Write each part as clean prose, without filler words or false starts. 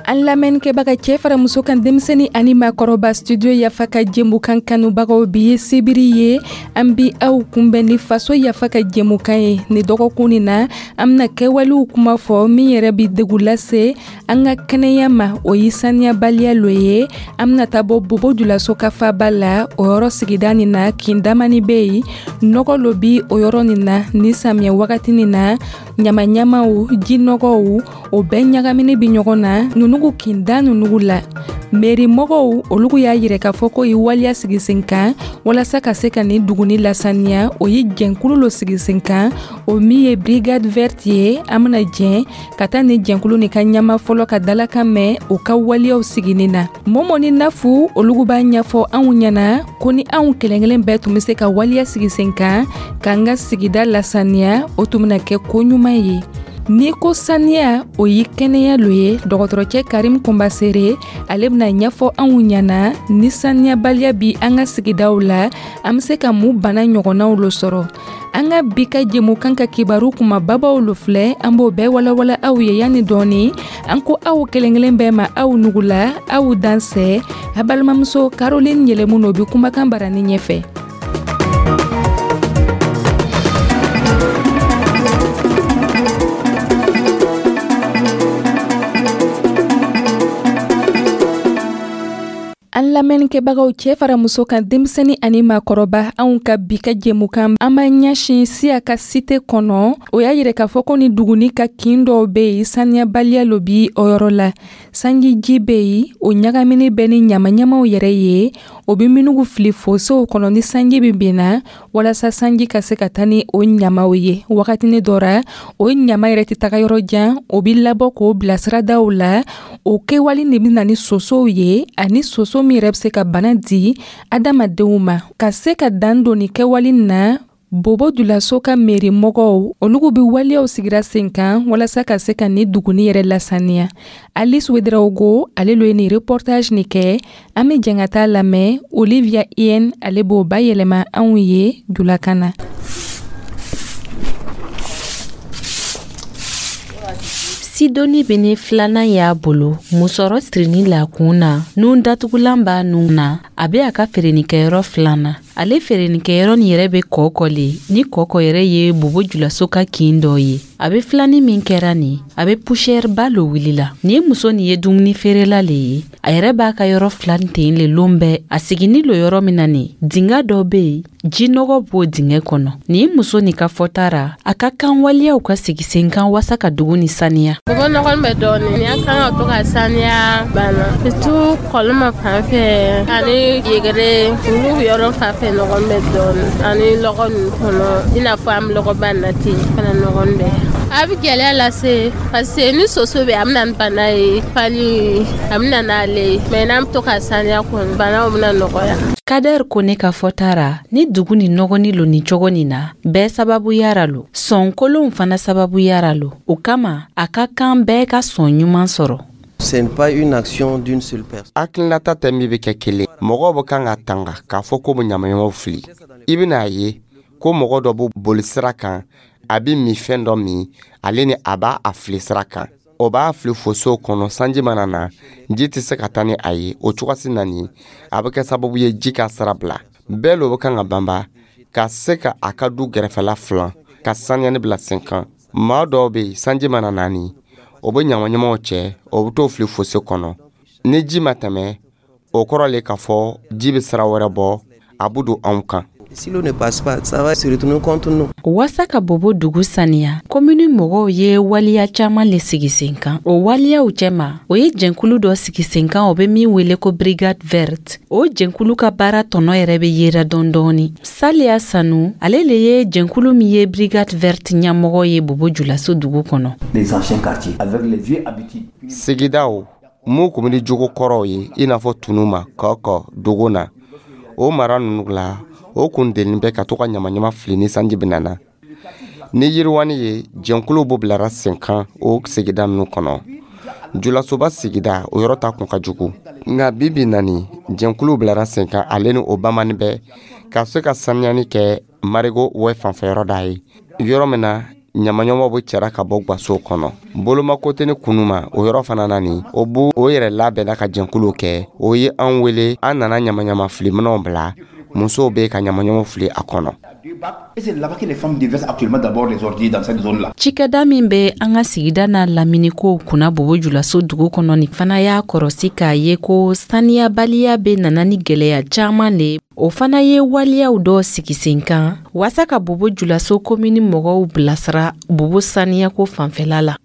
An lamɛnnikɛbaga, cɛ fara muso kan, denmisɛnnin ani maakɔrɔba, Studio Yafa ka jɛmukan kanubagaw, bi ye sibiri ye. An bi aw kunbɛn ni Faso Yafa ka jɛmukan ye. Ni dɔgɔkun nin na, an bena kɛwalew kuma fɔ min yɛrɛ bi degu lase an ka kɛnɛya ma, o ye saniyabaliya lo ye. An bena taa bɔ Bobo Julaso ka faba la, o yɔrɔ sigida nin na, kin damani be yen, nɔgɔ lo bi o yɔrɔ nin na. Ni samiya wagati nin na, ɲamaɲamaw, jinɔgɔw, o bɛɛ ɲagamini bi ɲɔgɔn na nunugu kinda nunugu la. Meri mɔgɔw, olugu y'a yirɛ k'a fɔ ko ye waleya sigi sen kan walasa ka se ka nin duguni lasaniya. O ye jɛnkulu lo sigi sen kan, o min ye Brigade Verte ye. An bena jɛn ka taa ni jɛnkulu nin ka ɲama fɔlɔ ka dalakan mɛn o ka waleyaw sigini na. Momo ni Nafu, olugu b'a ɲɛfɔ anw ɲɛna ko ni anw kelen kelen bɛɛ tun be se ka waleya sigi sen kan k'an ka sigida lasaniya, o tun bena kɛ ko ɲuman ye. N'i ko saniya, o ye kɛnɛya lo ye. Dɔgɔtɔrɔcɛ Karim Kunbasere, ale bena ɲɛfɔ anw ɲɛna, ni saniyabaliya bi an ka sigidaw la, an be se ka mun bana ɲɔgɔnnaw lo sɔrɔ. An ka bi ka jɛmukan ka kibaru kumababaw lo filɛ, an b'o bɛɛ walawala aw ye yanni dɔɔni. An ko aw kelen kelen bɛɛ ma, aw nugula, aw dansɛ. A balimamuso Caroline Yɛlɛmu no bi kumakan barani ɲɛfɛ. An lamɛnnikɛbagaw, cɛ fara muso kan, denmisɛnnin ani maakɔrɔba, anw ka bi ka jɛmukan, an b'an ɲɛsin Siya ka cité kɔnɔ. O y'a yirɛ k'a fɔ ko ni duguni ka kin dɔw be yen, saniyabaliya lo bi o yɔrɔ la. Sanjiji be yen, o ɲagamini bɛ ni ɲamaɲamaw yɛrɛ ye, o be minugu fili fosow kɔnɔ ni sanji bɛ benna, walasa sanji ka se ka taa ni o ɲamaw ye. Wagatini dɔ ra, o ɲama yɛrɛ tɛ taga yɔrɔ jan, o bi labɔ k'o bila siradaw la. O kɛwale de bɛ na ni sosow ye, ani soso min yɛrɛ bɛ se ka bana di adamadenw ma. Ka se ka dan don nin kɛwale na, Bobo Julaso ka meri mɔgɔw, olugu bi waleyaw sigira sen kan walasa ka se ka ni duguni yɛrɛ lasaniya. Alice Wedraogo, ale lo ye nin reportage nin kɛ. An be jɛn ka taa lamɛn. Olivia Ien, ale b'o bayɛlɛma anw ye julakan na. Sidoni bɛ filanan y'a bolo, musɔrɔ sirinin la kun na, nun datugulan b'a nun na. A bɛ a ka feerenikɛyɔrɔ filanan. Ale feerenikɛyɔrɔ nin yɛrɛ bɛ Kɔkɔ le, ni Kɔkɔ yɛrɛ ye Bobo Julaso ka kin dɔ ye. A bɛ filanin min kɛra nin, a bɛ poussière ba lo wulila. Nin ye muso nin ye dumuni feerela le ye. A yɛrɛ b'a ka yɔrɔ filan ten le lon bɛɛ. A sigini lo yɔrɔ min na nin, dinga dɔ bɛ yen, jinɔgɔ b'o dingɛ kɔnɔ. Nin muso nin ka fɔta ra, a ka kan waleyaw ka sigi sen kan wasa ka dugu ni saniya. Bobo nɔgɔ bɛ dɔɔnin ni an kan ka to ka saniya banna, surtout kɔlɔma fan fɛ ani yegere, olu yɔrɔ fan fɛ nɔgɔ bɛ dɔɔnin, ani lɔgɔ ninnu kɔnɔ, i n'a fɔ an bɛ lɔgɔba na ten fana, nɔgɔ bɛ. A bɛ gɛlɛya lase parce que ni soso bɛ, a bɛ na ni bana ye, palu a bɛ na n'ale ye, mais n'an bɛ to ka saniya kɔni, banaw bɛna nɔgɔya. Kader ko ne ka fɔta ra, ni dugu ni nɔgɔni lo nin cogo nin na, bɛɛ sababuyara lo, sɔn kolonw fana sababuyara lo. O kama, a ka kan bɛɛ ka sɔn ɲuman sɔrɔ. Ce n'est pas une action d'une seule personne. Hakilinata tɛ min bɛ kɛ kelen. Mɔgɔw bɛ kan ka tanga k'a fɔ ko bɛ ɲamaɲamaw fili. I bɛna a ye ko mɔgɔ dɔ bɛ boli sira kan, a bɛ minfɛn dɔ min, ale ni a b'a a fili sira kan, o b'a fili fosow kɔnɔ. Sanji mana na, ji tɛ se ka taa ni a ye. O cogosi na nin, a bɛ kɛ sababu ye ji ka sira bila. Bɛɛ lo bɛ kan ka banba ka se ka a ka du gɛrɛfɛla filan, ka saniyani bila sen kan. Maa dɔw bɛ yen, sanji mana na nin, o bɛ ɲamaɲamaw cɛ, o bɛ t'o fili fose kɔnɔ. Ni ji ma tɛmɛ, o kɔrɔ le k'a fɔ ji bɛ sira wɛrɛ bɔ, a bɛ don anw kan. Si l'eau ne passe pas, ça va se retourner contre nous. Wasa ka Bobo dugu saniya, komini mɔgɔw ye waleya caaman le sigi sen kan. O waleyaw cɛma, o ye jɛnkulu dɔ sigi sen kan, o be min wele ko Brigade Verte. O jɛnkulu ka baara tɔnɔ yɛrɛ be yera dɔɔni dɔɔni. Saliya Sanu, ale le ye jɛnkulu min ye Brigade Verte ɲɛmɔgɔ ye Bobo Julaso dugu kɔnɔ. Les anciens quartiers avec les vieilles habitudes. Sigidaw mun kun bɛ ni jogo kɔrɔw ye, i n'a fɔ Tunuma, Kɔkɔ, Dogona, o mara ninnu la, o kun delinen bɛ ka to ka ɲamaɲama fili ni sanji bɛ nana. Ni yiriwani ye, jɛnkuluw b'o bilara sen kan o sigida ninnu kɔnɔ. Julasoba sigida, o yɔrɔ ta kun ka jugu, nka bi bi nani, jɛnkuluw bilara sen kan, ale ni o bamani bɛɛ ka se ka saniyani kɛ. Marigot wɛ fanfɛyɔrɔ da ye, yɔrɔ min na ɲamaɲɔmɔ bɛ cɛra ka bɔ gwasow kɔnɔ. Bolomakoteni kunuma o yɔrɔ fana na nin, o b'o o yɛrɛ labɛnna ka jɛnkulu kɛ. O ye an wele, an nana ɲamaɲama filiminɛw bila, musow bɛ ka ɲamaɲɔmɔ fili a kɔnɔ. Cikɛda min bɛ an ka sigida n'a laminikow kunna Bobo Julaso dugu kɔnɔ nin fana y'a kɔrɔsi k'a ye ko saniyabaliya bɛ nana ni gwɛlɛya caman le. O fana ye waleyaw dɔ sigi sen kan waasa ka Bobo Julaso komini mɔgɔw bilasira Bobo saniyako fanfɛla la.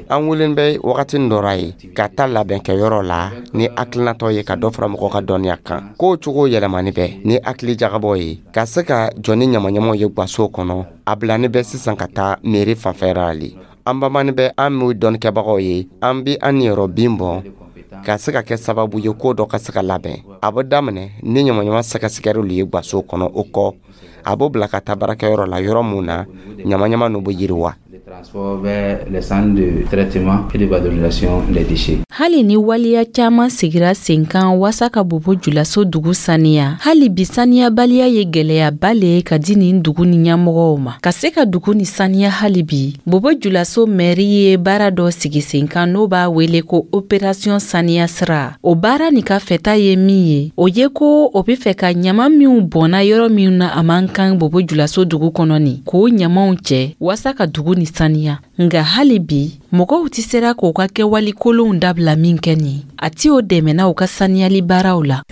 An welen bɛ wagatinin dɔ ra ye ka taa labɛnkɛyɔrɔ la ni hakilinatɔ ye ka dɔ fara mɔgɔ ka dɔnniya kan. Kow cogo yɛlɛmani bɛ ni hakili jagabɔ ye ka se ka jɔ ni ɲamaɲamaw ye gwasow kɔnɔ. A bilani bɛ sisan ka taa mairie fanfɛra le. An bamani bɛ, an m'o dɔnnikɛbagaw ye, an bi an niyɔrɔ bin bɔn ka se ka kɛ sababu ye ko dɔ ka se ka labɛn. A bɛ daminɛ ni ɲamaɲama sɛgɛsɛgɛliw ye gwasow kɔnɔ. O kɔ, a b'o bila ka taa baarakɛyɔrɔ la, yɔrɔ mun na ɲamaɲama n'u bɛ yiriwa. Hali ni waleya caman sigira sen kan waasa ka Bobo Julaso dugu saniya, hali bi saniyabaliya ye gwɛlɛyaba le ye ka di nin dugu ni ɲɛmɔgɔw ma. Ka se ka dugu ni saniya hali bi, Bobo Julaso mɛri ye baara dɔ sigi sen kan n'o b'a wele ko opération saniya sira. O baara nin ka fɛta ye min ye, o ye ko o be fɛ ka ɲama minw bɔnna yɔrɔ minw na a man kan Bobo Julaso dugu kɔnɔ nin, k'o ɲamaw cɛ waasa ka dugu ni saniya. Nga hali bi mɔgɔw tɛ sera k'u ka kɛwale kolonw dabila min kɛ nin, a ti o dɛmɛna u ka saniyali baaraw la.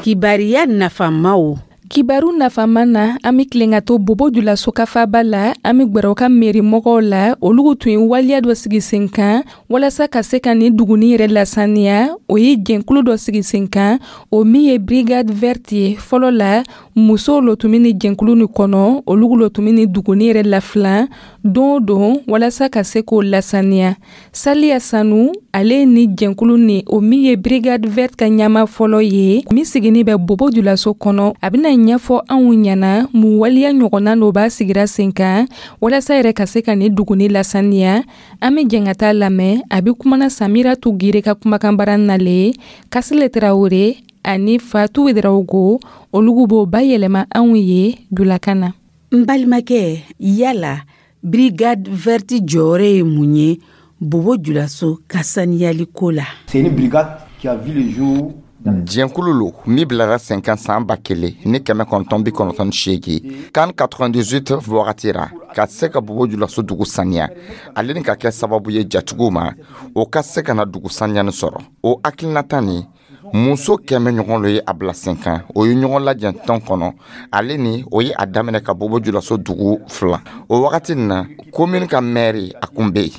Kibariya nafamaw. Kibaru nafama na, an bɛ tilen ka to Bobo Julaso kafaba la. An bɛ gwɛrɛ u ka meri mɔgɔw la. Olu tun ye waleya dɔ sigi sen kan walasa ka se ka nin duguni yɛrɛ lasaniya. O ye jɛnkulu dɔ sigi sen kan, o min ye Brigade Verte ye. Fɔlɔ la, musow lo tun bɛ nin jɛnkulu nin kɔnɔ. Olu lo tun bɛ nin duguni yɛrɛ lafilan don o don walasa ka se k'o lasaniya. Saliya Sanu, ale ni jɛnkulu nin, o min ye Brigade Verte ka ɲɛmaa fɔlɔ ye, min sigini bɛ Bobo Julaso kɔnɔ, a bɛna ɲɛfɔ anw ɲɛna mun waleya ɲɔgɔnna n'o b'a sigira sen kan walasa yɛrɛ ka se ka nin duguni lasaniya. An bɛ jɛn ka taa lamɛn. A bɛ kumana Samira Tugire ka kumakanbara nale, Kasile Tarawele ani Fatu Ouedraogo, olu b'o bayɛlɛma anw ye julakan na. N balimakɛ, yala Brigade Verte jɔyɔrɔ ye mun ye Bobo Julaso ka saniyali ko la? C'est une brigade qui a vu le jour. Jɛnkulu lo min bilara sen kan san 1998, CAN 98 wagati ra, ka se ka Bobo Julaso dugu saniya, ale ni ka kɛ sababu ye jatigiw ma, o ka se ka na dugu saniyani sɔrɔ. O hakilinata ni muso 100 ɲɔgɔn lo ye a bila sen kan. O ye ɲɔgɔn lajɛ tɔn kɔnɔ, ale ni o ye a daminɛ ka Bobo Julaso dugu filan. O wagati nin na, komini ka mɛri a kun bɛ yen,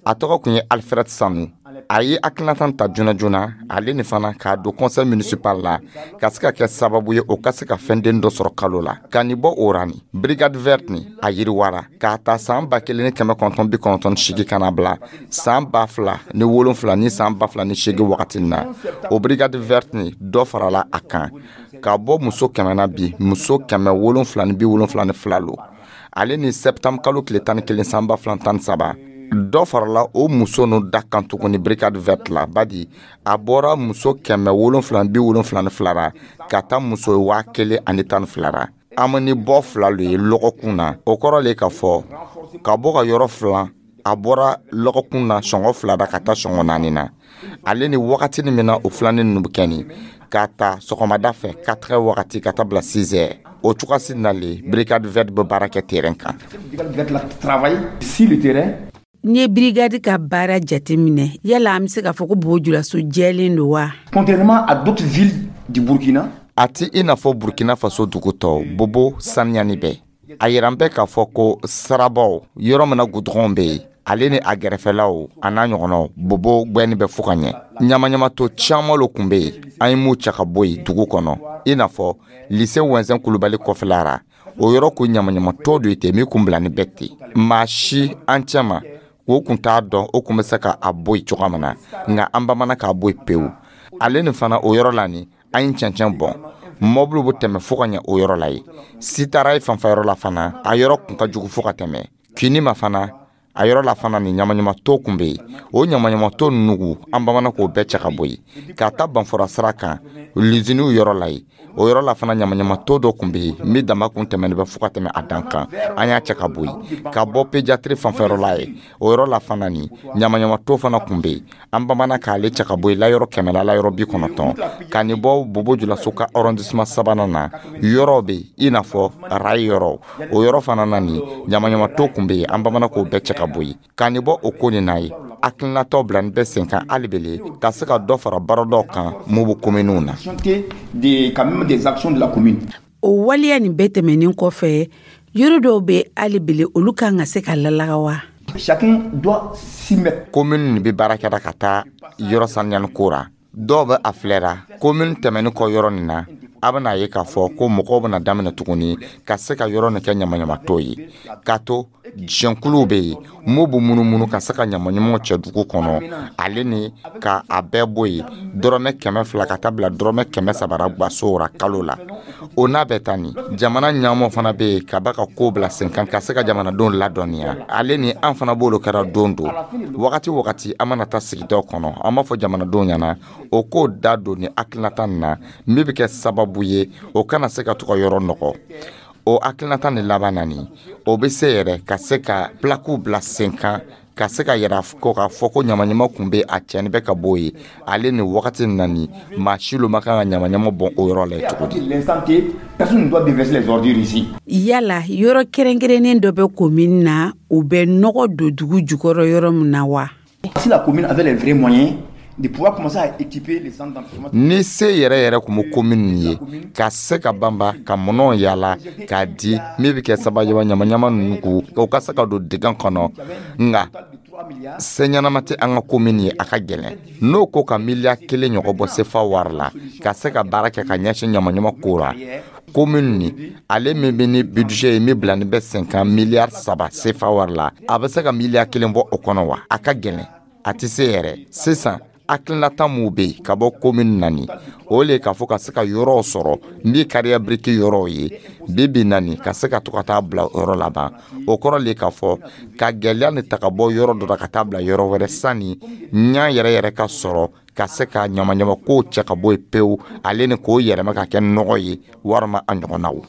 a tɔgɔ kun ye Alfred Sanu. A ye hakilinata ta joona joona, ale ni fana k'a don conseil municipal la, ka se ka kɛ sababu ye o ka se ka fɛnden dɔ sɔrɔ kalo la. Ka nin bɔ o ra ni Brigade Verte ni a yiriwara k'a ta san 1998 ka na bila san 2007 ni san 2008 wagati na, o Brigade Verte ni dɔ farala a kan ka bɔ muso 100 na, bi muso 772 lo. Ale ni septembre kalo tile 11 san 2013, dɔ farala o muso nu da kan tuguni Brigade Verte la, badi a bɔra muso 772 ra ka taa muso 1012 ra. An ni bɔ fila lo ye lɔgɔkun na. O kɔrɔ le k'a fɔ ka bɔ ka yɔrɔ filan, a bɔra lɔgɔkun na sɔngɔ 2 ra ka taa sɔngɔ 4 na. Ale ni wagati min na o filanin ninnu bɛ kɛ nin, k'a ta sɔgɔmada fɛ 4 heures wagati ka taa bila 6 heures. O cogoyasi nalen, Brigade Verte bɛ baara kɛ terrain kan. N'i ye brigade ka baara jateminɛ, yala an bɛ se k'a fɔ ko Bobo Julaso jɛlen don wa? Contrairement à d'autres villes du Burkina, a ti i n'a fɔ Burkina Faso dugu tɔw, Bobo saniyani bɛ. A yiran bɛ k'a fɔ ko sirabaw, yɔrɔ min na gudɔrɔnw bɛ yen, ale ni a gɛrɛfɛlaw a n'a ɲɔgɔnnaw, Bobo gwɛnni bɛ fo ka ɲɛ. Ɲamaɲamato caman lo kun bɛ yen, an ye mun cɛ ka bɔ yen dugu kɔnɔ, i n'a fɔ lycée Wɛnzɛn Kulubali kɔfɛla ra. O yɔrɔ kun ɲamaɲamatɔ do ten min kun bila ni bɛɛ ten, maa si an cɛma o kun t'a dɔn o kun bɛ se ka a bɔ yen cogoya min na, nka an bamanan k'a bɔ yen pewu. Ale ni fana o yɔrɔ la ni an ye cɛncɛn bɔn, mɔbiliw bɛ tɛmɛ fo ka ɲɛ o yɔrɔ la yen. Sitara ye fanfɛyɔrɔ la fana, a yɔrɔ kun ka jugu fo ka tɛmɛ kinni ma fana. A yɔrɔ la fana ni ɲamaɲamato kun bɛ yen. O ɲamaɲamato nugu, an bamana k'o bɛɛ cɛ ka bɔ yen. Ka taa Banfora sira kan, luziniw yɔrɔ la yen, o yɔrɔ la fana ɲamaɲamato dɔ kun bɛ yen min dama kun tɛmɛnen bɛ fo ka tɛmɛ a dan kan, an y'a cɛ ka bɔ yen. Ka bɔ pédiatrie fanfɛyɔrɔ la yen, o yɔrɔ la fana ni ɲamaɲamato fana kun bɛ yen, an bamana k'ale cɛ ka bɔ yen layɔrɔ 100 la layɔrɔ 90. Ka nin bɔ Bobo Julaso ka arrondissement sabanan na, yɔrɔ bɛ yen i n'a fɔ rail yɔrɔ, o yɔrɔ fana na nin ɲamaɲamato kun bɛ yen, an bamana k'o bɛɛ cɛ ka bɔ yen. Ka nin bɔ o ko nin na ye, hakilinataw bila nin bɛɛ sen kan hali bele ka se ka dɔ fara baaradaw kan mubu kominiw na. O waleya nin bɛɛ tɛmɛnen kɔfɛ, yɔrɔ dɔw bɛ hali bele, olu kan ka se ka lalaga wa? Komini nin bɛ baara kɛra ka taa yɔrɔ saniyani ko ra. Dɔw bɛ a filɛra komini tɛmɛnen kɔ yɔrɔ nin na, a bɛna ye k'a fɔ ko mɔgɔw bɛna daminɛ tuguni ka se ka yɔrɔ nin kɛ ɲamaɲamatɔ ye, k'a to jɛnkuluw bɛ yen mun b'u munumunu ka se ka ɲamaɲamaw cɛ dugu kɔnɔ, ale ni ka a bɛɛ bɔ yen dɔrɔmɛ 200 ka taa bila dɔrɔmɛ 300 ra gwaso ra kalo la. O n'a bɛɛ ta nin, jamana ɲɛmɔgɔ fana bɛ yen ka ba ka ko bila sen kan ka se ka jamanadenw ladɔnniya, ale ni an fana b'olu kɛra don don wagati wagati. An mana taa sigidaw kɔnɔ, an b'a fɔ jamanadenw ɲɛna o k'o da don ni hakilinata nin na min bɛ kɛ sababu ye o kana se ka to ka yɔrɔ nɔgɔ. O hakilinata nin laban na nin, o bɛ se yɛrɛ ka se ka plaquew bila sen kan ka se ka yɛrɛ ko k'a fɔ ko ɲamaɲama kun bɛ a cɛnni bɛ ka bɔ yen, ale ni wagati nin na nin, maa si lo ma kan ka ɲamaɲama bɔn o yɔrɔ la cogo di. Yala yɔrɔ kɛrɛnkɛrɛnnen dɔ bɛ commune na, u bɛ nɔgɔ don dugu jukɔrɔ yɔrɔ min na wa? Si la commune avait les vrais moyens de pouvoir commencer à équiper les centres d'enfouissement. Ni se yɛrɛ yɛrɛ kun bɛ commune ye ka se ka banba ka mɔnɔw yala k'a di min bɛ kɛ sababu ye ɲamaɲama ninnu k'u o ka se ka don dingɛ kɔnɔ, nka se ɲɛnama tɛ an ka commune ye, a ka gɛlɛn. N'o ko ka miliyari 1 ɲɔgɔn bɔ sefa wari la ka se ka baara kɛ ka ɲɛsin ɲamaɲama ko la, commune ni ale min bɛ ni budget ye min bila ni bɛ sen kan miliyari 3 sefa wari la, a bɛ se ka miliyari 1 bɔ o kɔnɔ wa? A ka gɛlɛn, a tɛ se yɛrɛ. Sisan hakilinata mun bɛ yen ka bɔ commune na nin, o le k'a fɔ ka se ka yɔrɔw sɔrɔ min carrière brique yɔrɔw ye bi bi na nin, ka se ka to ka taa bila o yɔrɔ laban. O kɔrɔ le k'a fɔ ka gɛlɛya nin ta ka bɔ yɔrɔ dɔ la ka taa bila yɔrɔ wɛrɛ sanni ɲa yɛrɛ yɛrɛ ka sɔrɔ ka se ka ɲamaɲama kow cɛ ka bɔ yen pewu, ale ni k'o yɛlɛma ka kɛ nɔgɔ ye walima a ɲɔgɔnnaw.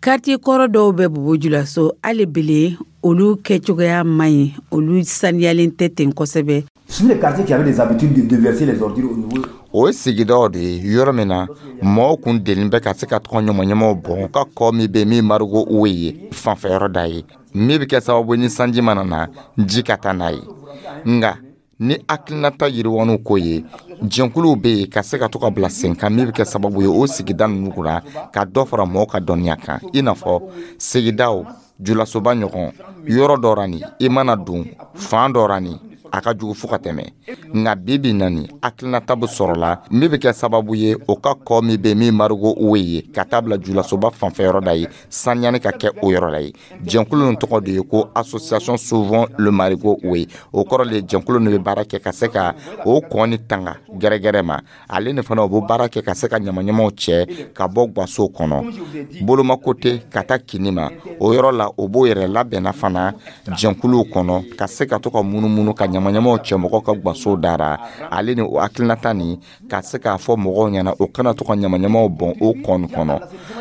Quartier kɔrɔ dɔw bɛ Bobo Julaso hali bele, olu kɛcogoya man ɲi, olu saniyalen tɛ ten kosɛbɛ. Sur les quartiers qui avaient des habitudes de déverser les ordures au niveau O ye sigidaw de ye yɔrɔ min na mɔgɔw kun deli bɛ ka se ka tɔgɔ ɲamaɲamaw bɔn ka kɔ min bɛ min marigot o ye fanfɛyɔrɔ da ye min bɛ kɛ sababu ni sanji mana na ji ka taa n'a ye. Nka ni hakilinata yiriwaniw ko ye, jɛnkuluw bɛ yen ka se ka to ka bila sen kan min bɛ kɛ sababu ye o sigida ninnu kunna ka dɔ fara mɔgɔw ka dɔnniya kan, i n'a fɔ sigidaw julasoba ɲɔgɔn yɔrɔ dɔ ra nin, i mana don fan dɔ ra nin, a ka jugu fo ka tɛmɛ. Nka bi bi na nin, hakilinata bɛ sɔrɔ la min bɛ kɛ sababu ye o ka kɔ min bɛ min marigot o ye ka taa bila julasoba fanfɛyɔrɔ da ye, saniyani ka kɛ o yɔrɔ la ye. Jɛnkulu nin tɔgɔ de ye ko Association Sauvons le Marigot Houet. O kɔrɔ le jɛnkulu nin bɛ baara kɛ ka se ka o kɔ ni tanga gɛrɛgɛrɛ ma, ale ni fana o bɛ baara kɛ ka se ka ɲamaɲamaw cɛ ka bɔ gaso kɔnɔ bolomako tɛ ka taa kini ma o yɔrɔ la. O b'o yɛrɛ labɛnna fana jɛnkuluw kɔnɔ ka se ka to ka munumunu ka ɲamaɲamaw cɛ mɔgɔw ka gaso dara, ale ni o hakilinata nin ka se k'a fɔ mɔgɔw ɲɛna o kana to ka ɲamaɲamaw bɔn o kɔni kɔnɔ.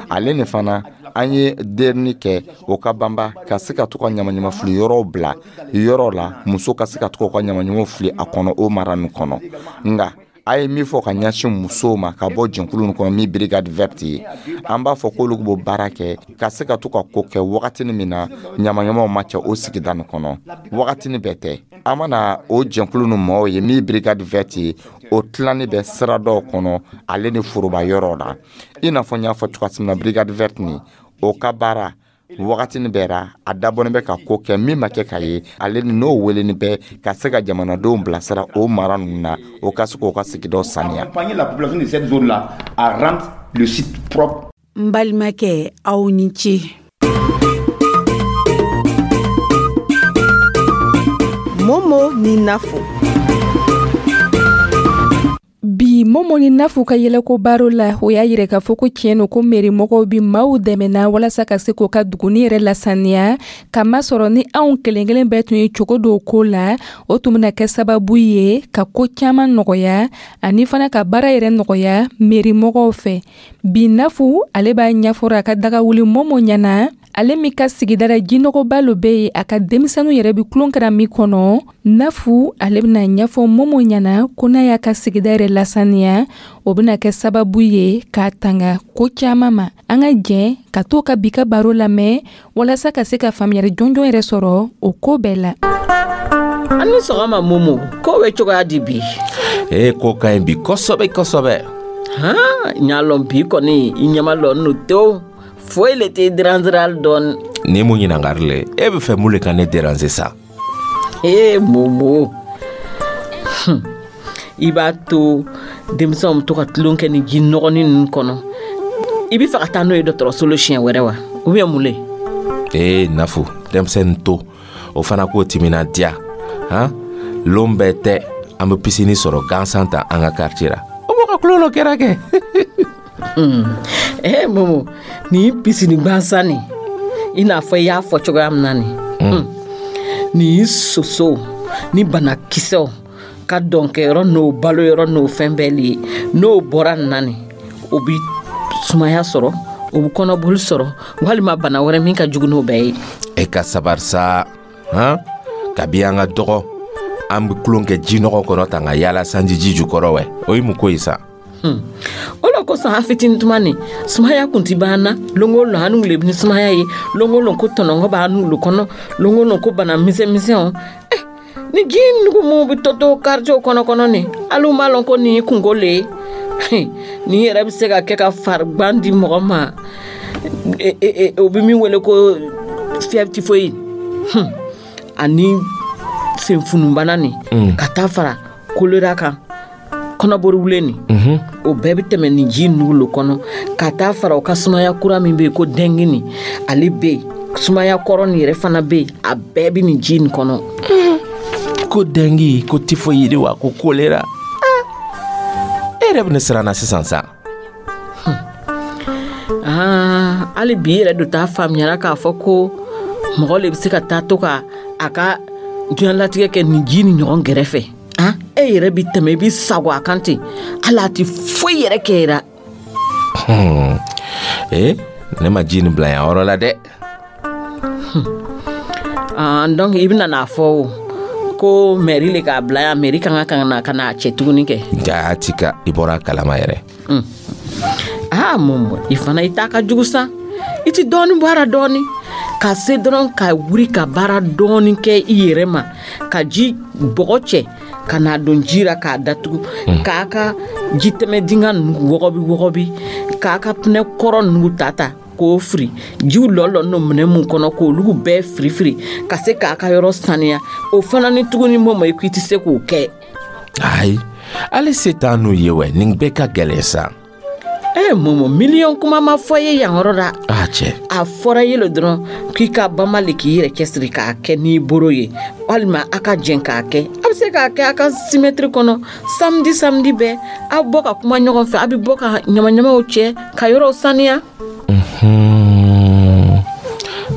Ale ni fana an ye derini kɛ o ka banba ka se ka to ka ɲamaɲama fili yɔrɔw bila yɔrɔ la, muso ka se ka to ka ɲamaɲamaw fili a kɔnɔ o mara nin kɔnɔ. Nka a ye min fɔ ka ɲɛsin musow ma ka bɔ jɛnkulu nin kɔnɔ min Brigade Verte ye, an b'a fɔ k'olu b'o baara kɛ ka se ka to ka ko kɛ wagatini min na ɲamaɲamaw ma cɛ o sigida nin kɔnɔ, wagatini bɛɛ tɛ. An mana o jɛnkulu nin mɔgɔw ye min Brigade Verte ye, o tilani bɛ sira dɔw kɔnɔ ale ni foroba yɔrɔ la, i n'a fɔ n y'a fɔ cogoya min na. Brigade Verte nin, o ka baara wagatini bɛɛ ra, a dabɔnen bɛ ka ko kɛ min ma kɛ ka ye, ale ni n'o weleni bɛ ka se ka jamanadenw bilasira o mara ninnu na, o ka se k'o ka sigidaw saniya. N balimakɛ, aw ni ce. Momo ni Nafo. Bi Momo ni Nafu ka yɛlɛko baro la, o y'a yira k'a fɔ ko tiɲɛ no, ko mairie mɔgɔw bi maaw dɛmɛna walasa ka se k'o ka duguni yɛrɛ lasaniya, k'a masɔrɔ ni anw kelen kelen bɛɛ tun ye cogo dɔw ko la, o tun bɛna kɛ sababu ye ka ko caman nɔgɔya ani fana ka baara yɛrɛ nɔgɔya mairie mɔgɔw fɛ. Bi, Nafu ale b'a ɲɛfɔra a ka dagawuli Momo ɲɛna, ale min ka sigida la jinɔgɔba lo bɛ yen, a ka denmisɛnninw yɛrɛ bi tulon kɛra min kɔnɔ. Nafu ale bɛna ɲɛfɔ Momo ɲɛna ko n'a y'a ka sigida yɛrɛ lasaniya, o bɛna kɛ sababu ye k'a tanga ko caman ma. An ka jɛn ka to ka bi ka baro lamɛn walasa ka se ka faamuyali jɔnjɔn yɛrɛ sɔrɔ o ko bɛɛ la. An ni sɔgɔma Momo, ko bɛ cogoya di bi? Ee, ko ka ɲi bi kosɛbɛ kosɛbɛ. Han, n y'a lɔn bi kɔni i ɲɛma lɔn no tewu, foyi le tɛ déranger hali dɔɔni. Ni mun ɲininkali le e bɛ fɛ, mun le ka ne déranger sa? Ee Momo, i b'a to denmisɛnw bɛ to ka tulon kɛ ni ji nɔgɔnin ninnu kɔnɔ, i bɛ fɛ ka taa n'o ye dɔgɔtɔrɔso la siɲɛ wɛrɛ wa, ou bien mun le? Ee Nafu, denmisɛnnin to o fana k'o timinadiya han. Lon bɛɛ tɛ an bɛ piscine sɔrɔ gansan ta an ka quartier la, o b'o ka tulon dɔ kɛra kɛ. Eh Momo, nin piscine gansan nin, i n'a fɔ i y'a fɔ cogoya min na nin, nin sosow ni banakisɛw ka dɔnkɛyɔrɔ n'o baloyɔrɔ n'o fɛn bɛɛ le ye. N'o bɔra nin na nin, o bi sumaya sɔrɔ, o bi kɔnɔboli sɔrɔ, walima bana wɛrɛ min ka jugu n'o bɛɛ ye. E ka sabari sa han. Kabi an ka dɔgɔ, an bɛ tulon kɛ jinɔgɔ kɔnɔ tan ka yaala sanji ji jukɔrɔ wɛ, o ye mun ko ye sa? O le kosɔn an fitinin tuma nin, sumaya kun ti b'an na. Lon o lon an le ni sumaya ye, lon o lon ko tɔnɔngɔ b'an n'olu kɔnɔ, lon o lon ko bana misɛn misɛnw. Ni ji nugu mun bɛ to to quartier kɔnɔ kɔnɔ nin, hali u m'a lɔn ko nin ye kungo le ye. Nin yɛrɛ bɛ se ka kɛ ka farigan di mɔgɔ ma, o bɛ min wele ko fièvre typhoïde ani senfunubana nin, ka taa fara choléra kan, kɔnɔbori wulen nin, o bɛɛ bɛ tɛmɛ nin ji nugu lo kɔnɔ, ka taa fara o ka sumaya kura min bɛ yen ko dengue nin, ale bɛ yen, sumaya kɔrɔ nin yɛrɛ fana bɛ yen, a bɛɛ bɛ nin ji nin kɔnɔ. Ko dengue, ko typhoïde wa, ko choléra, e yɛrɛ bɛ ne siran na sisan sa. Hali bi yɛrɛ do t'a faamuyara k'a fɔ ko mɔgɔ le bɛ se ka taa to ka a ka diɲɛlatigɛ kɛ nin ji ni ɲɔgɔn gɛrɛfɛ. E yɛrɛ bi tɛmɛ, i bi sago a kan ten, hali a ti foyi yɛrɛ kɛ yɛrɛ. Ee, ne ma ji nin bila yan yɔrɔ la dɛ. Donc i bɛna n'a fɔ o ko mairie le k'a bila yan, mairie kan ka na ka n'a cɛ tuguni kɛ. Jaati ka i bɔra a kalama yɛrɛ. Aa Momo, i fana i ta ka jugu sa. I ti dɔɔni bɔ a la dɔɔni ka se dɔrɔn ka wuli ka baara dɔɔni kɛ i yɛrɛ ma, ka ji bɔgɔ cɛ ka n'a don ji la k'a datugu, k'a ka jitɛmɛ dingɛ ninnu wɔgɔbi wɔgɔbi, k'a ka pinɛ kɔrɔ ninnu ta ta k'o firi, jiw lɔlɔ n'o minɛ mun kɔnɔ, k'olu bɛɛ firi firi, ka se k'a ka yɔrɔ saniya. O fana ni tuguni Momo, i ko i tɛ se k'o kɛ. Ayi, hali se t'an n'u ye wɛ, nin bɛɛ ka gɛlɛn sa. Ee Momo, miliyɔn kuma ma fɔ ye yan yɔrɔ la. A cɛ. A fɔra ye le dɔrɔn k'i ka bama le k'i yɛrɛ cɛsiri k'a kɛ n'i boro ye, walima a ka jɛn k'a kɛ. A bɛ se k'a kɛ a ka simɛtiri kɔnɔ samedi samedi bɛɛ, aw bɔ ka kuma ɲɔgɔn fɛ, a bɛ bɔ ka ɲamaɲamaw cɛ ka yɔrɔw saniya.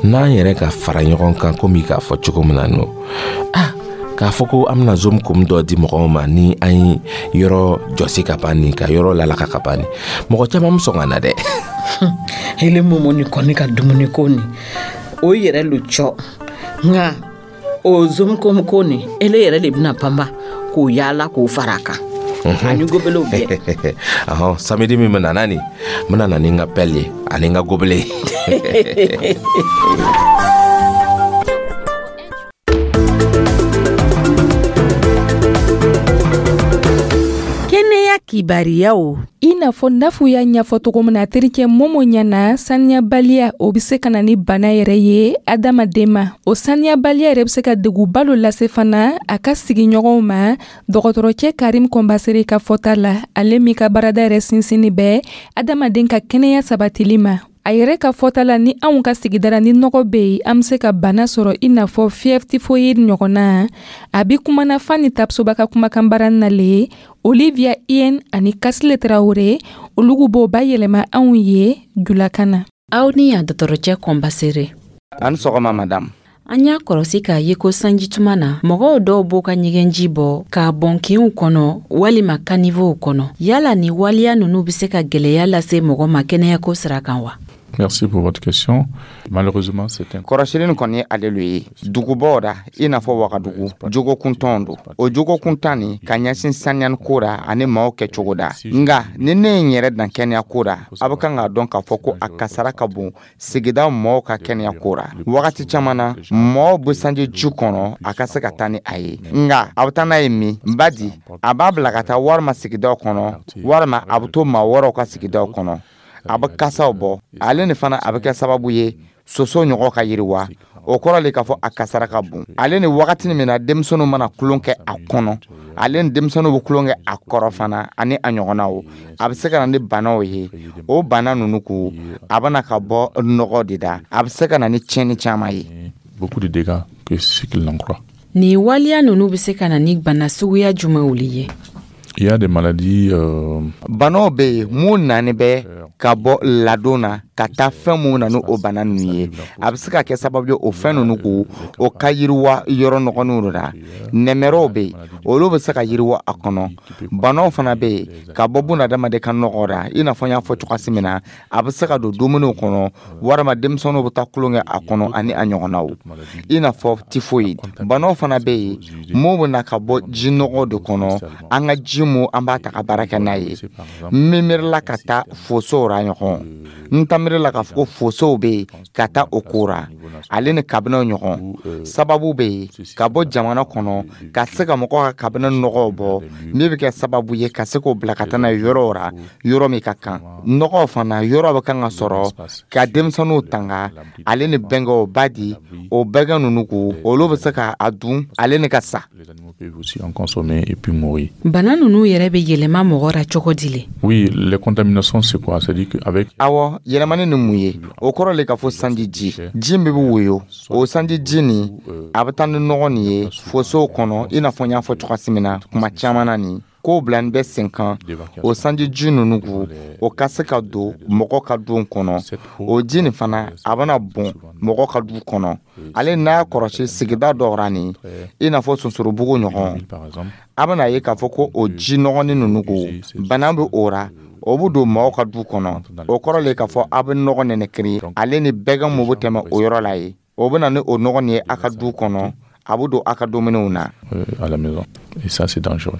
N'an yɛrɛ ka fara ɲɔgɔn kan, komi k'a fɔ cogo min na no, k'a fɔ ko an bɛna zoom kom dɔ di mɔgɔw ma ni an ye yɔrɔ jɔsi ka ban nin, ka yɔrɔ lalaka ka ban nin, mɔgɔ caman bɛ sɔn ka na dɛ. Hele Momo, nin kɔni ka dumuni ko nin, o yɛrɛ lo cɔ, nka o zoom kom ko nin, ele yɛrɛ de bɛna banba k'o yaala k'o fara a kan ani gobelew bɛɛ. Ɔhɔn, samedi min bɛna na nin, n bɛna na ni n ka pelle ye ani n ka gobelet. Kɛnɛya kibariyaw. I n'a fɔ Nafu y'a ɲɛfɔ cogo min na terikɛ Momo ɲɛna, saniyabaliya o bɛ se ka na ni bana yɛrɛ ye adamaden ma. O saniyabaliya yɛrɛ bɛ se ka degunba dɔ lase fana a ka sigiɲɔgɔnw ma. Dɔgɔtɔrɔcɛ Karim Kɔnbasere ka fɔta la, ale min ka baarada yɛrɛ sinsinni bɛ adamaden ka kɛnɛya sabatili ma, A yɛrɛ ka fɔta la, ni anw ka sigidara ni nɔgɔ bɛ yen, an bɛ se ka bana sɔrɔ i n'a fɔ fièvre typhoïde ɲɔgɔnna. A bi kumana Fani Tapsoba ka kumakan baara nale. Olivia Ien ani Kasile Traoré, olugu b'o bayɛlɛma anw ye julakan na. Aw ni yan, dɔgɔtɔrɔcɛ Kɔnbasere. Ani sɔgɔma, madame. An y'a kɔrɔsi k'a ye ko sanjituma na, mɔgɔw dɔw b'u ka ɲɛgɛnji bɔ k'a bɔn kinw kɔnɔ walima caniveauw kɔnɔ. Yala ni waleya nunu be se ka gwɛlɛya lase mɔgɔ ma kɛnɛyako sira kan wa? Merci pour votre question. Malheureusement, c'est un. Kɔrɔsili nin kɔni ye ale lo ye dugubaw ra, i n'a fɔ Wagadugu, jogokuntɔn don. O jogokuntan nin ka ɲɛsin saniyani ko ra ani maaw kɛcogo da. Nga ni ne ye n yɛrɛ dan kɛnɛya ko ra, a bɛ kan k'a dɔn k'a fɔ ko a kasara ka bon sigida mɔɔw ka kɛnɛya ko ra. Wagati caman na, mɔɔw bɛ sanji ji kɔnɔ a ka se ka taa ni a ye. Nga a bɛ taa n'a ye min badi, a b'a bila ka taa walima sigidaw kɔnɔ, walima a bɛ to maa wɛrɛw ka sigidaw kɔnɔ, a bɛ kasaw bɔ. Ale ni fana, a bɛ kɛ sababu ye soso ɲɔgɔn ka yiriwa. O kɔrɔ le k'a fɔ a kasara ka bon. Ale ni wagati min na denmisɛnninw mana tulon kɛ a kɔnɔ, ale ni denmisɛnninw bɛ tulon kɛ a kɔrɔ fana ani a ɲɔgɔnnaw, a bɛ se ka na ni banaw ye. O bana ninnu ko a bɛna ka bɔ nɔgɔ de da, a bɛ se ka na ni tiɲɛni caman ye. Beaucoup de dégâts que ce qu'il n'en croit. Nin waleya nunu be se ka na ni bana suguya jumɛnw ye? Il y a des maladies. Banaw bɛ yen mun nani bɛ ka bɔ ladon na ka taa fɛn mun na ni o bana ninnu ye. A bɛ se ka kɛ sababu ye o fɛn ninnu ko o ka yiriwa yɔrɔ nɔgɔninw la. Nɛmɛrɛw bɛ yen, olu bɛ se ka yiriwa a kɔnɔ. Banaw fana bɛ yen ka bɔ bunadamaden ka nɔgɔ la, i n'a fɔ n y'a fɔ cogoya min na, a bɛ se ka don dumuniw kɔnɔ, walima denmisɛnninw bɛ taa tulon kɛ a kɔnɔ ani a ɲɔgɔnnaw, i n'a fɔ typhoïde. Banaw fana bɛ yen mun bɛ na ka bɔ ji nɔgɔ de kɔnɔ, an ka ji mun an b'a ta ka baara kɛ n'a ye. N miirila ka taa fosow ra ɲɔgɔn, n ta miirila k'a fɔ ko fosow bɛ yen ka taa o ko ra, ale ni kabinɛw ɲɔgɔn. Sababu bɛ yen ka bɔ jamana kɔnɔ ka se ka mɔgɔw ka kabinɛ nɔgɔw bɔ, min bɛ kɛ sababu ye ka se k'o bila ka taa n'a ye yɔrɔw ra, yɔrɔ min ka kan. Nɔgɔw fana yɔrɔ bɛ kan ka sɔrɔ ka denmisɛnninw tanga, ale ni bɛnkɛw ba di o bɛnkɛ ninnu ko olu bɛ se ka a dun ale ni ka sa. Peuvent aussi en consommer et puis mourir. Bana nunu yɛrɛ bɛ yɛlɛma mɔgɔ ra cogo di le? Oui, les contaminations, c'est quoi? C'est-à-dire qu'avec Awɔ, yɛlɛmani ni mun ye? O kɔrɔ le k'a fɔ sanji ji, ji min bɛ woyo, o sanji ji nin, a bɛ taa ni nɔgɔ nin ye fosow kɔnɔ, i n'a fɔ n y'a fɔ cogoya min na kuma caman na. Nin kow bila bɛ sen kan, o sanji ji ninnu ko o ka se ka don mɔgɔ ka du kɔnɔ. O ji nin fana, a bɛna bɔn mɔgɔ ka du kɔnɔ. Ale n'a y'a kɔrɔsi sigida dɔw ra nin, i n'a fɔ Sonsorobugu ɲɔgɔn, a bɛna ye k'a fɔ ko o ji nɔgɔnin ninnu ko bana bɛ o ra, o bɛ don mɔgɔw ka du kɔnɔ. O kɔrɔ le k'a fɔ a bɛ nɔgɔ nɛnɛkiri, ale ni bɛgɛn mun bɛ tɛmɛ o yɔrɔ la ye, o bɛ na ni o nɔgɔ nin ye a ka du kɔnɔ, a bɛ don a ka dumuniw na. À la maison. Et ça, c'est dangereux.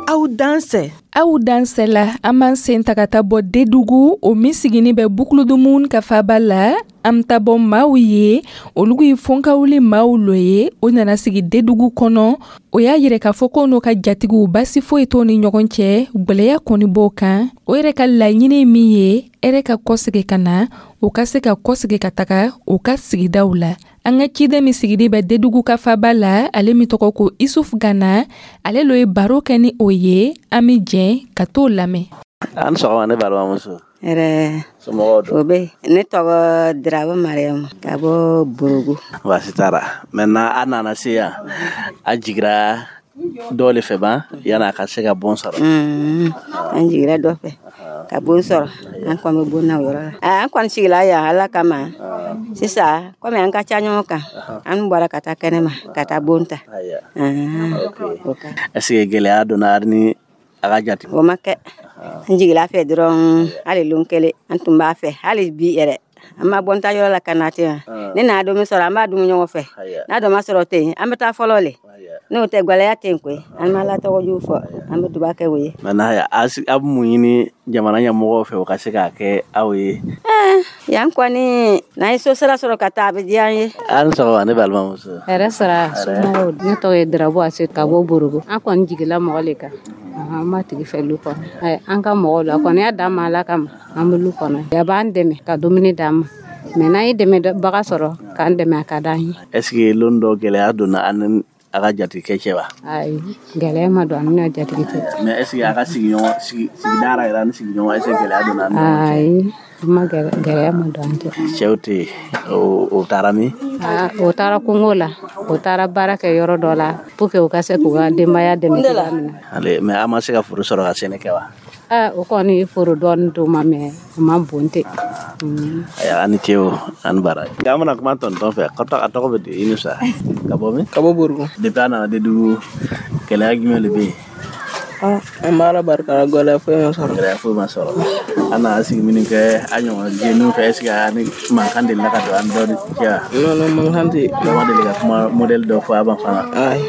Aw dansɛ. Aw dansɛ la, an b'an sen ta ka taa bɔ Dedugu, o min sigini bɛ Bukuludumun ka faba la. An bɛ taa bɔ maaw ye, olu ye fɔnkawuli maaw lo ye, o nana sigi Dedugu kɔnɔ. O y'a yɛrɛ k'a fɔ ko n'o ka jatigiw, basi foyi t'o ni ɲɔgɔn cɛ, gwɛlɛya kɔni b'o kan. O yɛrɛ ka laɲini min ye, hɛrɛ ka kɔsegi ka na, o ka se ka kɔsegi ka taga o ka sigidaw la. An ka ciden min sigili bɛ Dedugu ka faba la, ale min tɔgɔ ko Isuf Gana, ale lo ye baro kɛ ni o ye. An bɛ jɛn ka t'o lamɛn. An sɔgɔma, ne balimamuso. Hɛrɛ. Somɔgɔw don? O bɛ. Ne tɔgɔ Diraba Mariyamu ka bɔ Borogo. Baasi t'a la. Maintenant, a nana se yan, a jigira dɔw le fɛ ban yanni a ka se ka bon sɔrɔ? An jigira dɔ fɛ ka bon sɔrɔ, an kɔni bɛ bon na o yɔrɔ la. An kɔni sigila yan Ala kama. Sisan komi an ka ca ɲɔgɔn kan, an bɔra ka taa kɛnɛma ka taa bon ta. Est ce que gɛlɛya donna ni a ka jate? O ma kɛ. An jigila fɛ dɔrɔn, hali lon kelen an tun b'a fɛ, hali bi yɛrɛ an ma bɔ n ta yɔrɔ la ka na ten wa. Ni n'a don min sɔrɔ, an b'a dun ɲɔgɔn fɛ. N'a dɔ ma sɔrɔ ten, an bɛ taa fɔlɔ le. N'o tɛ, gwɛlɛya tɛ yen koyi. An bɛ Ala tɔgɔ jugu fɔ, an bɛ duba kɛ o ye. Maintenant, a bɛ mun ɲini jamana ɲɛmɔgɔw fɛ, o ka se k'a kɛ aw ye? Yan kɔni, n'an ye so sira sɔrɔ ka taa, a bɛ diya an ye. A ni sɔgɔma, ne balimamuso. Hɛrɛ sara, somɔgɔw? Ne tɔgɔ ye Darabu Ase ka bɔ Borogo. An kɔni jigila mɔgɔ le kan, an b'a tigi fɛ lu kɔnɔ. An ka mɔgɔw la, a kɔni y'a d'an ma Ala kama, an bɛ lu kɔnɔ. A b'an dɛmɛ ka dumuni d'an ma. Mais n'an ye dɛmɛbaga sɔrɔ k'an dɛmɛ, a ka d'an ye. Est ce que lon dɔ gɛlɛya donna an ni a ka jatigikɛ cɛ wa? Ayi, gɛlɛya ma don an n'a jatigi cɛ. Mais est ce que a ka sigiɲɔgɔn sigida ra yɛrɛ ani sigiɲɔgɔn, est ce que gɛlɛya donna an ni ɲɔgɔn cɛ? Ayi, ma gɛlɛya ma don an cɛ. Cɛw tɛ yen, o taara min? O taara kungo la, o taara baara kɛ yɔrɔ dɔ la pour que u ka se k'u ka denbaya dɛmɛ cogoya min na. Ale, mais a ma se ka foro sɔrɔ ka sɛnɛ kɛ wa? O kɔni, foro dɔɔni d'u ma, mais o ma bon ten. Ayiwa, an ni ce o, an bara. An bɛna kuma tonton fɛ. A tɔgɔ bɛ di? I ni sa, ka bɔ min? Ka bɔ Borugu. Depuis a nana Dédougou, gɛlɛya jumɛn de bɛ yen? An b'a Ala barika la, gɛlɛya foyi ma sɔrɔ. Gɛlɛya foyi ma sɔrɔ. An nana sigi minnu kɛ, a ɲɔgɔn jeunes fɛ, est ce que a ni mankan delila ka don an dɔ cɛ wa? Non, non, mankan tɛ. Dɔ ma deli ka kuma modèle dɔ fɔ a ma fana? Ayi.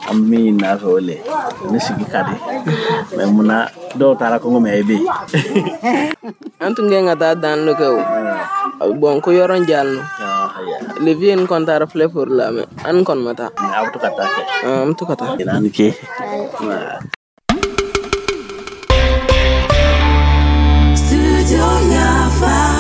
An bɛ min ɲini a fɛ, o le ni sigi ka di, mais munna dɔw taara kungo, mais e bɛ yen? An tun kɛ ka taa danni dɔ kɛ o, bon, ko yɔrɔ jalen no. Le vieux nin kɔni taara filɛ foro la, mais an kɔni ma taa. Aw bɛ to ka taa kɛ? An bɛ to ka taa. An ni ce. Studio Yafa.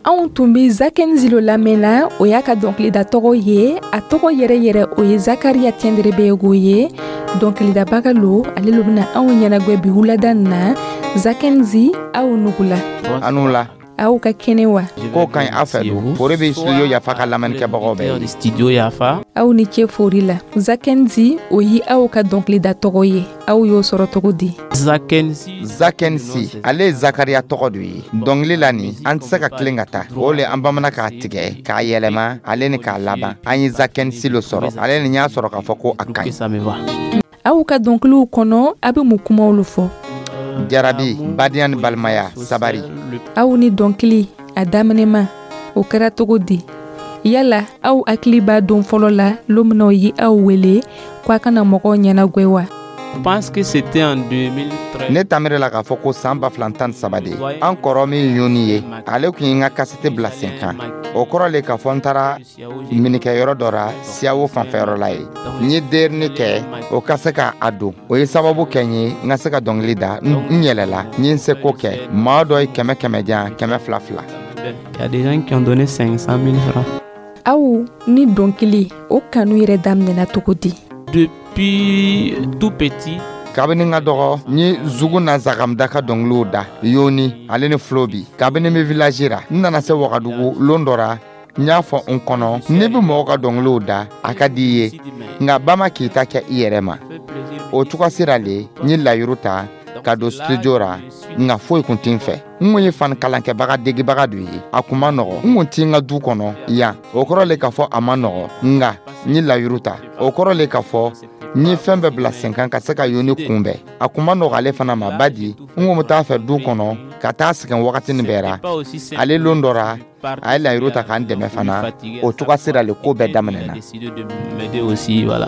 Anw tun bɛ Zakenzi lo lamɛnna. O y'a ka dɔnkilida tɔgɔ ye. A tɔgɔ yɛrɛ yɛrɛ, o ye Zakaria Tiendrebego ye. Dɔnkilidabaga lo, ale lo bɛna anw ɲɛnagwɛ bi wulada na. Zakenzi, aw nugula. Anu la. Aw ka kɛnɛ wa? Ko ka ɲi, aw fɛ dun? Fori bɛ Studio Yafa ka lamɛnnikɛbagaw bɛɛ ye. Studio Yafa. Aw ni ce fori la. Zakenzi, o ye aw ka dɔnkilida tɔgɔ ye. Aw y'o sɔrɔ cogo di? Zakenzi. Zakenzi, ale ye Zakariya tɔgɔ do ye. Dɔnkili la nin, an tɛ se ka tilen ka taa o le. An bamana k'a tigɛ k'a yɛlɛma, ale ni k'a laban, an ye Zakensi lo sɔrɔ. Ale ni y'a sɔrɔ k'a fɔ ko a ka ɲi. Aw ka dɔnkiliw kɔnɔ, a bɛ mun kumaw lo fɔ? Jarabi, badenya ni balimaya, sabari. Aw ni dɔnkili a daminɛma, o kɛra cogo di? Yala aw hakili b'a don fɔlɔ la, lon min na o ye aw wele ko a kana mɔgɔw ɲɛnagwɛ wa? Pense que c'était en 2013. Ne tamire la k'a fɔ ko san 2013 de, an kɔrɔ min yoni ye, ale tun ye n ka kasɛti bila sen kan. O kɔrɔ le k'a fɔ n taara minikɛyɔrɔ dɔ ra Siyawo fanfɛyɔrɔ la ye, n ye derini kɛ o ka se ka a don. O ye sababu kɛ n ye n ka se ka dɔnkili da. N yɛlɛla, n ye n seko kɛ. Maa dɔ ye 100 100 jan, 200 2. Il y a des gens qui ont donné 500 000 francs. Aw ni dɔnkili, o kanu yɛrɛ daminɛna cogo di? Depuis tout petit. Kabini n ka dɔgɔ, n ye zugu na zagamda ka dɔnkiliw da, yoni ale ni fulobi, kabini n bɛ village ra. N nana se Wagadugu lon dɔ ra, n y'a fɔ n kɔnɔ, ne bɛ mɔgɔw ka dɔnkiliw da, a ka di i ye, nka ba ma k'i ta kɛ i yɛrɛ ma. O cogoya sira le, n ye layiru ta ka don studio ra, nka foyi kun tɛ n fɛ. N kun ye fani kalankɛbaga degebaga dɔ ye. A kun ma nɔgɔ, n kun ti n ka du kɔnɔ yan. O kɔrɔ le k'a fɔ a ma nɔgɔ, nka n ye layiru ta. O kɔrɔ le k'a fɔ n ye fɛn bɛɛ bila sen kan ka se ka yoni kunbɛn. A kun ma nɔgɔ ale fana ma, badi n kun bɛ taa fɛ du kɔnɔ ka taa sɛgɛn wagatinin bɛɛ ra. Ale lon dɔ ra, a ye layiru ta k'an dɛmɛ fana. O cogoya sira le, ko bɛɛ daminɛna.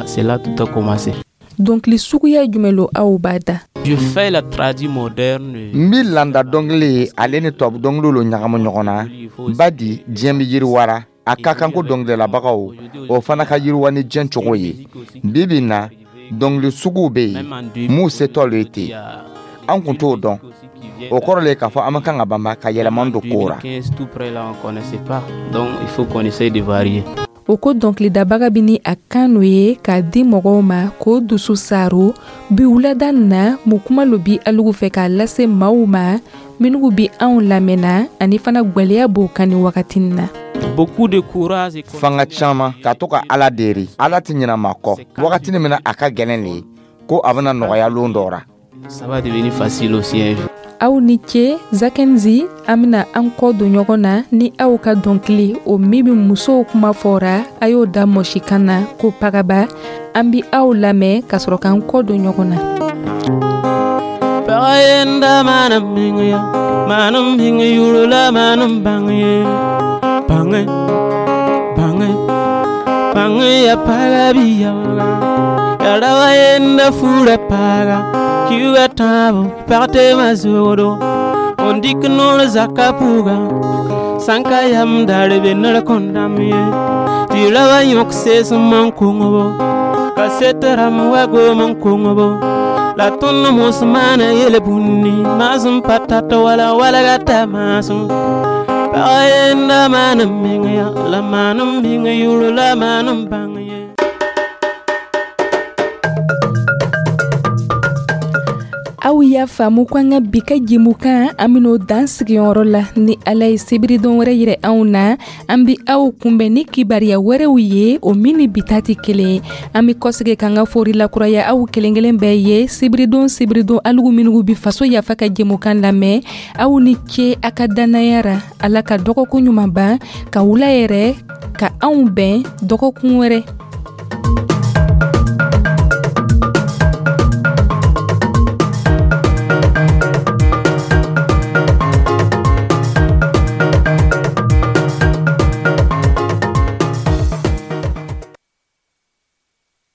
C'est là tout a commencé. Dɔnkili suguya jumɛn lo aw b'a da? Je fais la tradi moderne. N bi landa dɔnkili ye, ale ni tubabu dɔnkiliw lo ɲagamu ɲɔgɔn na, badi diɲɛ bɛ yiriwara. A ka kan ko dɔnkilidalabagaw o fana ka yiriwa ni diɲɛ cogo ye. Bi bi na, dɔnkili suguw bɛ yen m'u setɔ lo ye ten, an kun t'o dɔn. O kɔrɔ le k'a fɔ an ma kan ka banba ka yɛlɛma don ko ra. Tout près là, on connaissait pas. Donc il faut qu'on essaye de varier. O ko dɔnkilidabaga bɛ ni a kan n'o ye k'a di mɔgɔw ma k'o dusu saro. Bi wulada na, mun kuma lo bi alugu fɛ k'a lase maaw ma minnu bi anw lamɛnna, ani fana gwɛlɛya b'o kan ni wagati na? Beaucoup de courage et Fanga caman ka to ka Ala deri, Ala tɛ ɲinɛ maa kɔ. Wagatini min na a ka gɛlɛn le, ko a bɛna nɔgɔya lon dɔ ra. Ça va devenir facile aussi un jour. Aw ni ce. Zakenzi, an bena an kɔ don ɲɔgɔn na ni aw ka dɔnkili o min be musow kuma fɔra, a y'o da mɔsikan na ko pagaba. An bi aw lamɛn ka sɔrɔ k'an kɔ don ɲɔgɔn na. Pagã yenda maan n meng ya, maan n meng yʋʋr la maan n bãng ye. Bãnge, bãnge, bãnge ya paga bɩ yaooga. Ya rao a yenda fuurã paaga, kiuugã tãabo pag teemã zogdo. N dɩk noor zakã pʋʋga, sãn ka yam daar be ned kõn dãmb ye. Tɩ rao wã yõk seesem n kongbo, kaset rãmb wa goom n kongbo. La tõnd mos maana yel-bũndi, maasem pa tat wala walga ta maasem. Pag yenda maan n meng ya, la maan n meng yʋʋr la maan n bãng ye. Aw y'a faamu ko an ka bi ka jɛmukan, an ben'o dan sigiyɔrɔ la. Ni Ala ye sibiridon wɛrɛ yirɛ anw na, an bi aw kunbɛn ni kibariya wɛrɛw ye, o min ni bi ta tɛ kelen ye. An bi kɔsegi k'an ka fori lakuraya aw kelen kelen bɛɛ ye. Sibiridon sibiridon, alugu minugu bi Faso Yafa ka jɛmukan lamɛn. Aw ni ce a ka dannaya ra. Ala ka dɔgɔkun ɲuman ban, ka wula yɛrɛ ka anw bɛn dɔgɔkun wɛrɛ.